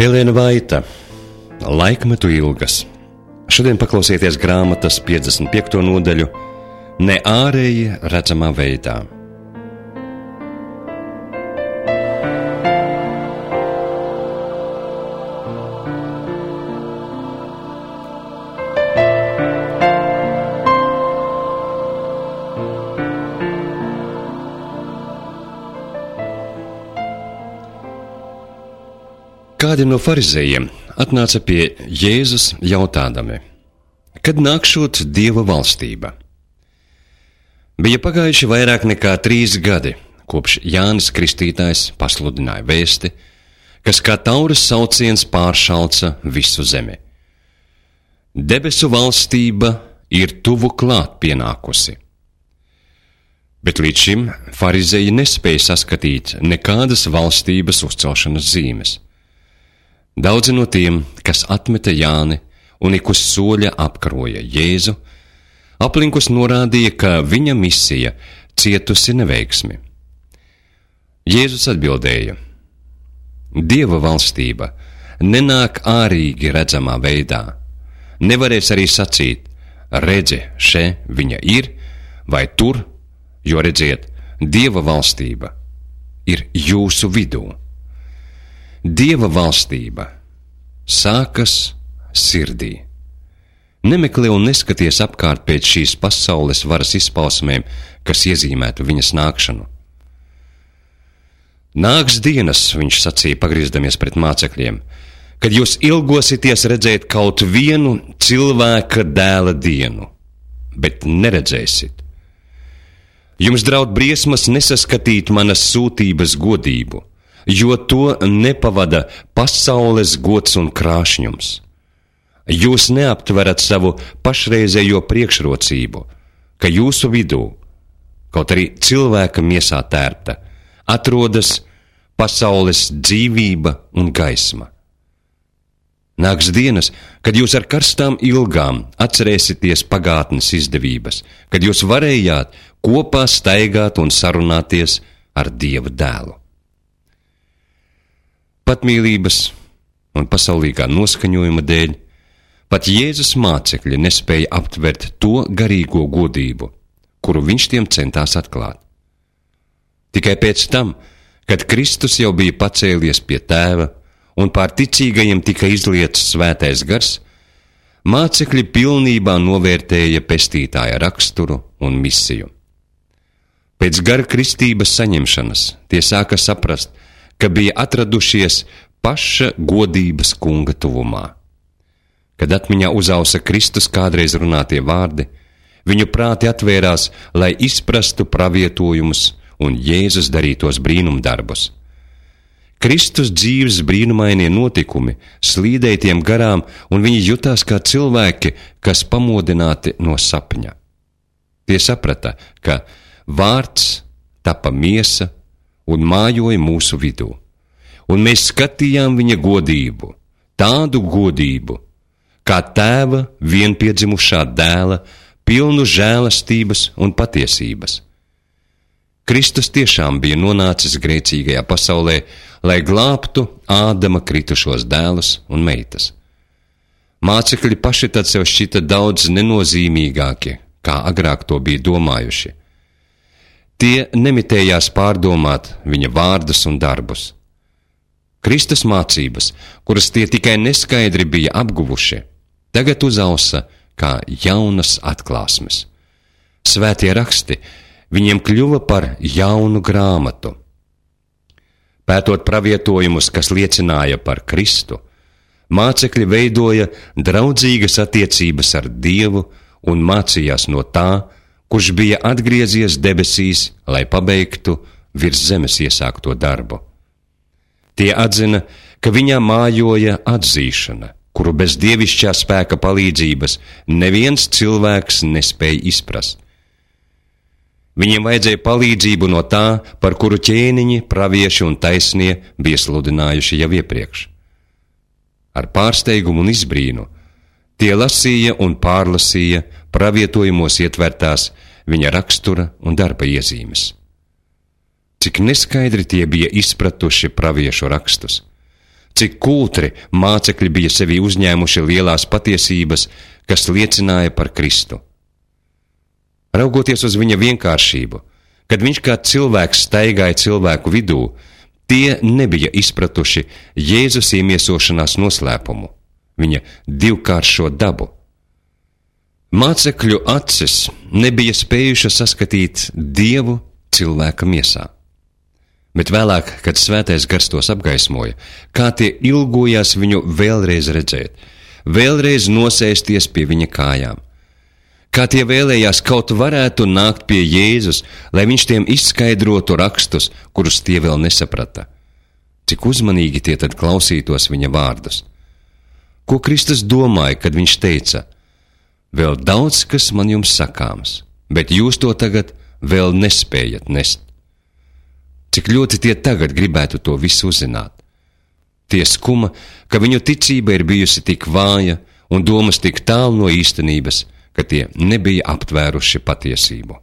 Elēna Vaita, Laikmetu ilgas. Šodien paklausieties grāmatas 55. nodaļu Ne ārēji redzamā veidā. Kādi no farizējiem atnāca pie Jēzus jautādami, kad nākšot Dieva valstība? Bija pagājuši vairāk nekā 3 gadi, kopš Jānis Kristītājs pasludināja vēsti, kas kā tauras sauciens pāršalca visu zemi. Debesu valstība ir tuvu klāt pienākusi. Bet līdz šim farizēji nespēja saskatīt nekādas valstības uzcelšanas zīmes. Daudzi no tiem, kas atmeta Jāni un ik uz soļa apkaroja Jēzu, aplinkus norādīja, ka viņa misija cietusi neveiksmi. Jēzus atbildēja: Dieva valstība nenāk ārīgi redzamā veidā. Nevarēs arī sacīt: redzi, še viņa ir, vai tur, jo redziet, Dieva valstība ir jūsu vidū. Dieva valstība sākas sirdī. Nemeklē un neskaties apkārt pēc šīs pasaules varas izpausmēm, kas iezīmētu viņas nākšanu. Nāks dienas, viņš sacīja, pagriezdamies pret mācekļiem, kad jūs ilgosieties redzēt kaut vienu cilvēka dēla dienu, bet neredzēsit. Jums draud briesmas nesaskatīt manas sūtības godību, jo to nepavada pasaules gods un krāšņums. Jūs neaptverat savu pašreizējo priekšrocību, ka jūsu vidū, kaut arī cilvēka miesā tērpta, atrodas pasaules dzīvība un gaisma. Nāks dienas, kad jūs ar karstām ilgām atcerēsieties pagātnes izdevības, kad jūs varējāt kopā staigāt un sarunāties ar Dieva dēlu. Patmīlības un pasaulīgā noskaņojuma dēļ pat Jēzus mācekļi nespēja aptvert to garīgo godību, kuru viņš tiem centās atklāt. Tikai pēc tam, kad Kristus jau bija pacēlies pie Tēva un pār ticīgajiem tika izlietas svētais gars, mācekļi pilnībā novērtēja pestītāja raksturu un misiju. Pēc gara kristības saņemšanas tie sāka saprast, ka bija atradušies paša godības kunga tuvumā. Kad atmiņā uzausa Kristus kādreiz runātie vārdi, viņu prāti atvērās, lai izprastu pravietojumus un Jēzus darītos brīnumdarbus. Kristus dzīves brīnumainie notikumi slīdēja tiem garām, un viņi jutās kā cilvēki, kas pamodināti no sapņa. Tie saprata, ka vārds tapa miesa un mājoja mūsu vidū, un mēs skatījām viņa godību, tādu godību, kā Tēva vienpiedzimušā dēla, pilnu žēlastības un patiesības. Kristus tiešām bija nonācis grēcīgajā pasaulē, lai glābtu Ādama kritušos dēlus un meitas. Mācekļi paši tad sev šķita daudz nenozīmīgāki, kā agrāk to bija domājuši. Tie nemitējās pārdomāt viņa vārdus un darbus. Kristus mācības, kuras tie tikai neskaidri bija apguvuši, tagad uzausa kā jaunas atklāsmes. Svētie raksti viņiem kļuva par jaunu grāmatu. Pētot pravietojumus, kas liecināja par Kristu, mācekļi veidoja draudzīgas attiecības ar Dievu un mācījās no tā, kurš bija atgriezies debesīs, lai pabeigtu virs zemes iesākto darbu. Tie atzina, ka viņā mājoja atzīšana, kuru bez dievišķā spēka palīdzības neviens cilvēks nespēja izprast. Viņiem vajadzēja palīdzību no tā, par kuru ķēniņi, pravieši un taisnie bija sludinājuši jau iepriekš. Ar pārsteigumu un izbrīnu tie lasīja un pārlasīja pravietojumos ietvertās viņa rakstura un darba iezīmes. Cik neskaidri tie bija izpratuši praviešu rakstus, cik kultri mācekļi bija sevī uzņēmuši lielās patiesības, kas liecināja par Kristu. Raugoties uz viņa vienkāršību, kad viņš kā cilvēks staigāja cilvēku vidū, tie nebija izpratuši Jēzus iemiesošanās noslēpumu, viņa divkāršo dabu. Mācekļu acis nebija spējušas saskatīt Dievu cilvēka miesā. Bet vēlāk, kad Svētais Gars tos apgaismoja, kā tie ilgojās viņu vēlreiz redzēt, vēlreiz nosēsties pie viņa kājām. Kā tie vēlējās kaut varētu nākt pie Jēzus, lai viņš tiem izskaidrotu rakstus, kurus tie vēl nesaprata. Cik uzmanīgi tie tad klausītos viņa vārdus. Ko Kristus domāja, kad viņš teica: vēl daudz, kas man jums sakāms, bet jūs to tagad vēl nespējat nest. Cik ļoti tie tagad gribētu to visu uzzināt. Tie skuma, ka viņu ticība ir bijusi tik vāja un domas tik tālu no īstenības, ka tie nebija aptvēruši patiesību.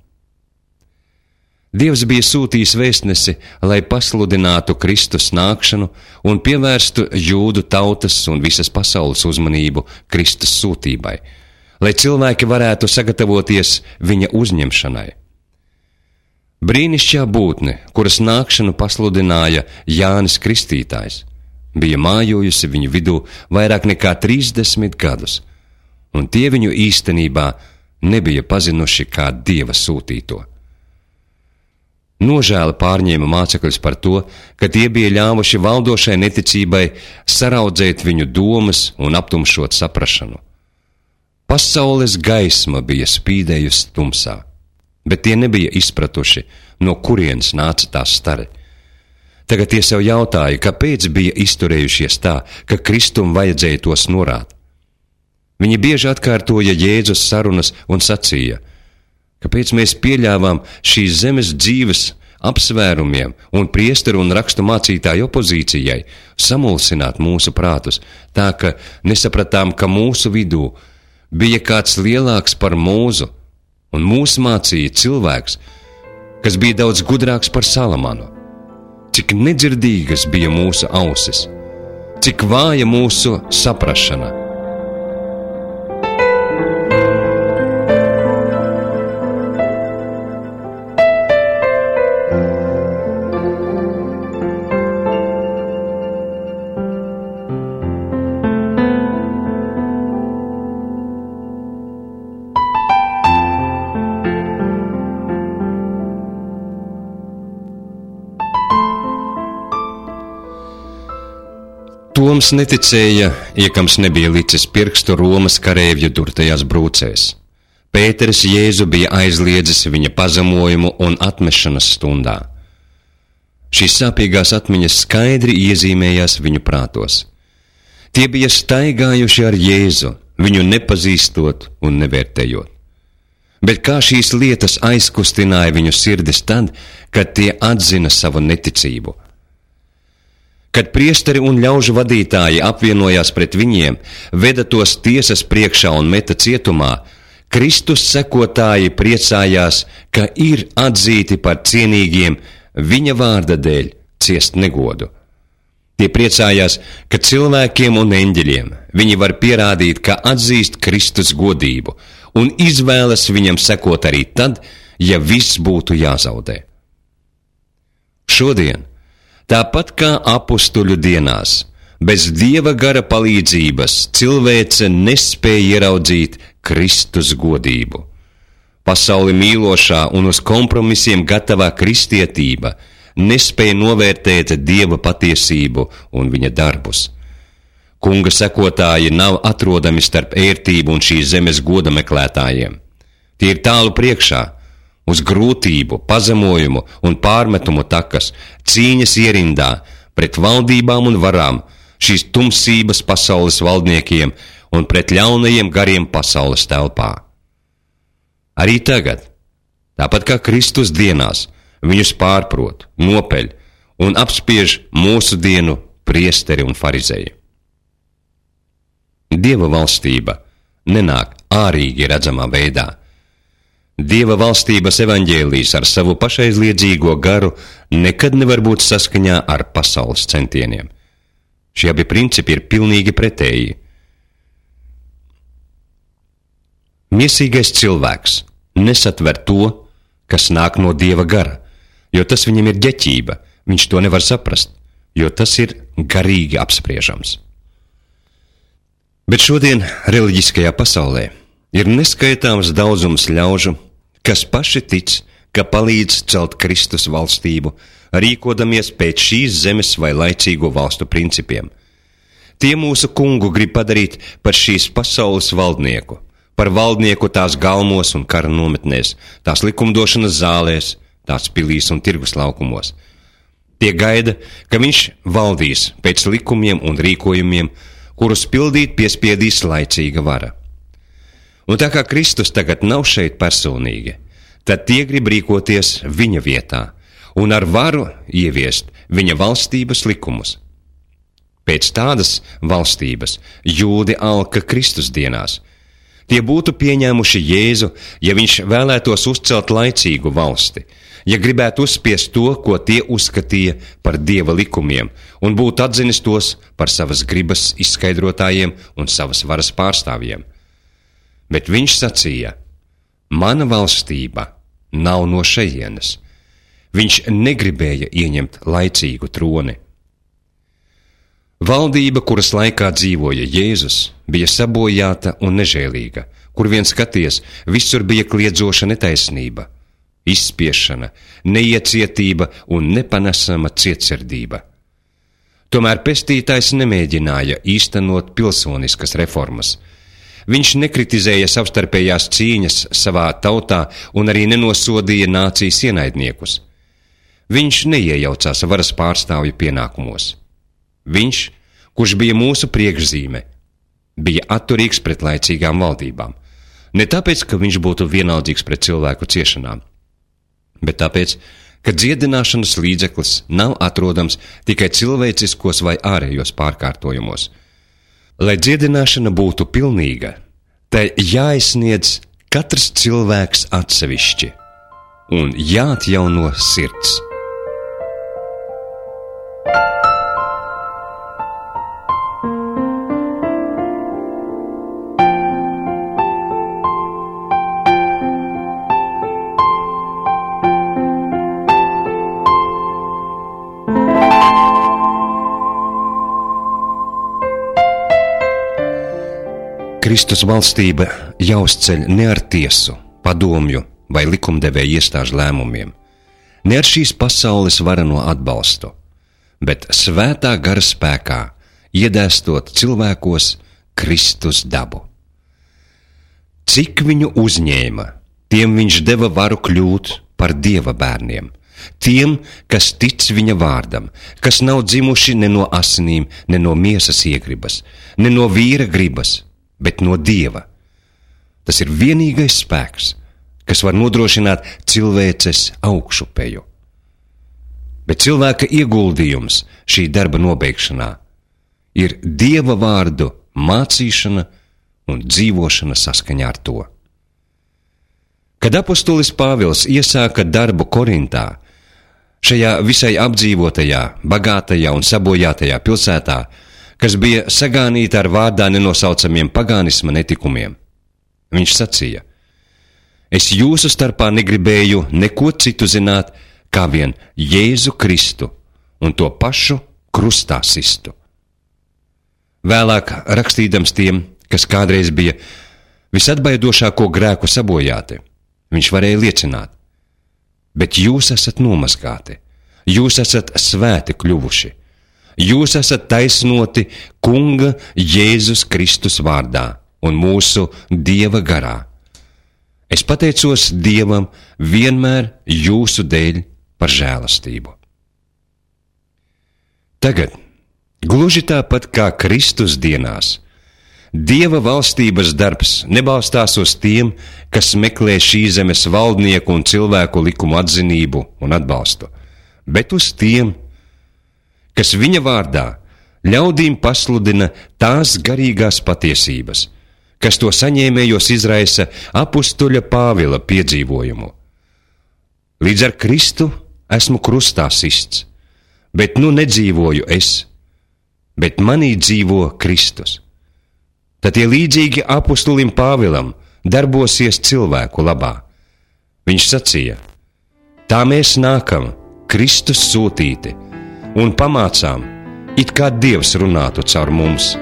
Dievs bija sūtījis vēstnesi, lai pasludinātu Kristus nākšanu un pievērstu jūdu tautas un visas pasaules uzmanību Kristus sūtībai, lai cilvēki varētu sagatavoties viņa uzņemšanai. Brīnišķīgā būtne, kuras nākšanu pasludināja Jānis Kristītājs, bija mājojusi viņu vidū vairāk nekā 30 gadus, un tie viņu īstenībā nebija pazinuši kā Dieva sūtīto. Nožēla pārņēma mācekļus par to, ka tie bija ļāvuši valdošai neticībai saraudzēt viņu domas un aptumšot saprašanu. Pasaules gaisma bija spīdējusi tumsā, bet tie nebija izpratuši, no kurienes nāca tā stare. Tagad tie sev jautāja, kāpēc bija izturējušies tā, ka Kristum vajadzēja tos norāt. Viņi bieži atkārtoja Jēzus sarunas un sacīja: kāpēc mēs pieļāvām šīs zemes dzīves apsvērumiem un priesteru un rakstu mācītāju opozīcijai samulsināt mūsu prātus, tā ka nesapratām, ka mūsu vidū bija kāds lielāks par mūsu, un mūs mācīja cilvēks, kas bija daudz gudrāks par Salamanu. Cik nedzirdīgas bija mūsu ausis, cik vāja mūsu saprašana. Toms neticēja, iekams nebija licis pirkstu Romas karēvju durtajās brūcēs. Pēteris Jēzu bija aizliedzis viņa pazemojumu un atmešanas stundā. Šīs sāpīgās atmiņas skaidri iezīmējās viņu prātos. Tie bija staigājuši ar Jēzu, viņu nepazīstot un nevērtējot. Bet kā šīs lietas aizkustināja viņu sirdis tad, kad tie atzina savu neticību? Kad priesteri un ļaužu vadītāji apvienojās pret viņiem, veda tos tiesas priekšā un meta cietumā, Kristus sekotāji priecājās, ka ir atzīti par cienīgiem viņa vārda dēļ ciest negodu. Tie priecājās, ka cilvēkiem un eņģeļiem viņi var pierādīt, ka atzīst Kristus godību un izvēlas viņam sekot arī tad, ja viss būtu jāzaudē. Šodien, tāpat kā apustuļu dienās, bez Dieva gara palīdzības cilvēce nespēja ieraudzīt Kristus godību. Pasauli mīlošā un uz kompromisiem gatavā kristietība nespēja novērtēt Dieva patiesību un viņa darbus. Kunga sekotāji nav atrodami starp ērtību un šīs zemes goda meklētājiem. Tie ir tālu priekšā, uz grūtību, pazemojumu un pārmetumu takas, cīņas ierindā pret valdībām un varām, šīs tumsības pasaules valdniekiem un pret ļaunajiem gariem pasaules telpā. Arī tagad, tāpat kā Kristus dienās, viņus pārprot, nopeļ un apspiež mūsu dienu priesteri un farizeji. Dieva valstība nenāk ārīgi redzamā veidā. Dieva valstības evaņģēlijs ar savu pašaizliedzīgo garu nekad nevar būt saskaņā ar pasaules centieniem. Šie abi principi ir pilnīgi pretēji. Miesīgais cilvēks nesatver to, kas nāk no Dieva gara, jo tas viņam ir ģeķība, viņš to nevar saprast, jo tas ir garīgi apspriežams. Bet šodien reliģiskajā pasaulē ir neskaitāms daudzums ļaužu, kas paši tic, ka palīdz celt Kristus valstību, rīkodamies pēc šīs zemes vai laicīgo valstu principiem. Tie mūsu kungu grib padarīt par šīs pasaules valdnieku, par valdnieku tās galmos un kara nometnēs, tās likumdošanas zālēs, tās pilīs un tirgus laukumos. Tie gaida, ka viņš valdīs pēc likumiem un rīkojumiem, kurus pildīt piespiedīs laicīga vara. Un tā kā Kristus tagad nav šeit personīgi, tad tie grib rīkoties viņa vietā un ar varu ieviest viņa valstības likumus. Pēc tādas valstības jūdi alka Kristus dienās. Tie būtu pieņēmuši Jēzu, ja viņš vēlētos uzcelt laicīgu valsti, ja gribētu uzspiest to, ko tie uzskatīja par Dieva likumiem, un būtu atzinis tos par savas gribas izskaidrotājiem un savas varas pārstāvjiem. Bet viņš sacīja: mana valstība nav no šejienes. Viņš negribēja ieņemt laicīgu troni. Valdība, kuras laikā dzīvoja Jēzus, bija sabojāta un nežēlīga, kur vien skaties, visur bija kliedzoša netaisnība, izspiešana, neiecietība un nepanesama cietsirdība. Tomēr pestītājs nemēģināja īstenot pilsoniskas reformas. Viņš nekritizēja savstarpējās cīņas savā tautā un arī nenosodīja nācijas ienaidniekus. Viņš neiejaucās varas pārstāvju pienākumos. Viņš, kurš bija mūsu priekšzīme, bija atturīgs pret laicīgām valdībām. Ne tāpēc, ka viņš būtu vienaldzīgs pret cilvēku ciešanām, bet tāpēc, ka dziedināšanas līdzeklis nav atrodams tikai cilvēciskos vai ārējos pārkārtojumos. Lai dziedināšana būtu pilnīga, tai jāizsniedz katrs cilvēks atsevišķi un jāatjauno sirds. Kristus valstība jāuzceļ ne ar tiesu, padomju vai likumdevēju iestāžu lēmumiem, ne ar šīs pasaules varano atbalstu, bet svētā gara spēkā, iedēstot cilvēkos Kristus dabu. Cik viņu uzņēma, tiem viņš deva varu kļūt par Dieva bērniem, tiem, kas tic viņa vārdam, kas nav dzimuši ne no asinīm, ne no miesas iegribas, ne no vīra gribas, bet no Dieva. Tas ir vienīgais spēks, kas var nodrošināt cilvēces augšupeju. Bet cilvēka ieguldījums šī darba nobeigšanā ir Dieva vārdu mācīšana un dzīvošana saskaņā ar to. Kad apostolis Pāvils iesāka darbu Korintā, šajā visai apdzīvotajā, bagātajā un sabojātajā pilsētā, kas bija sagānīta ar vārdā nenosaucamiem pagānisma netikumiem, viņš sacīja: es jūsu starpā negribēju neko citu zināt, kā vien Jēzu Kristu un to pašu krustā sistu. Vēlāk rakstīdams tiem, kas kādreiz bija visatbaidošāko grēku sabojāti, viņš varēja liecināt: bet jūs esat nomazgāti, jūs esat svēti kļuvuši, jūs esat taisnoti Kunga Jēzus Kristus vārdā un mūsu Dieva garā. Es pateicos Dievam vienmēr jūsu dēļ par žēlastību. Tagad, gluži tāpat kā Kristus dienās, Dieva valstības darbs nebalstās uz tiem, kas meklē šī zemes valdnieku un cilvēku likumu atzinību un atbalstu, bet uz tiem, kas viņa vārdā ļaudīm pasludina tās garīgās patiesības, kas to saņēmējos izraisa apustuļa Pāvila piedzīvojumu. Līdz ar Kristu esmu krustā sists, bet nu nedzīvoju es, bet manī dzīvo Kristus. Tad tie līdzīgi apustulim Pāvilam darbosies cilvēku labā. Viņš sacīja: tā mēs nākam, Kristus sūtīti, un pamācām, it kā Dievs runātu caur mums.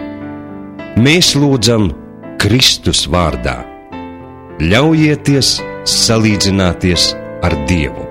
Mēs lūdzam Kristus vārdā. Ļaujieties salīdzināties ar Dievu.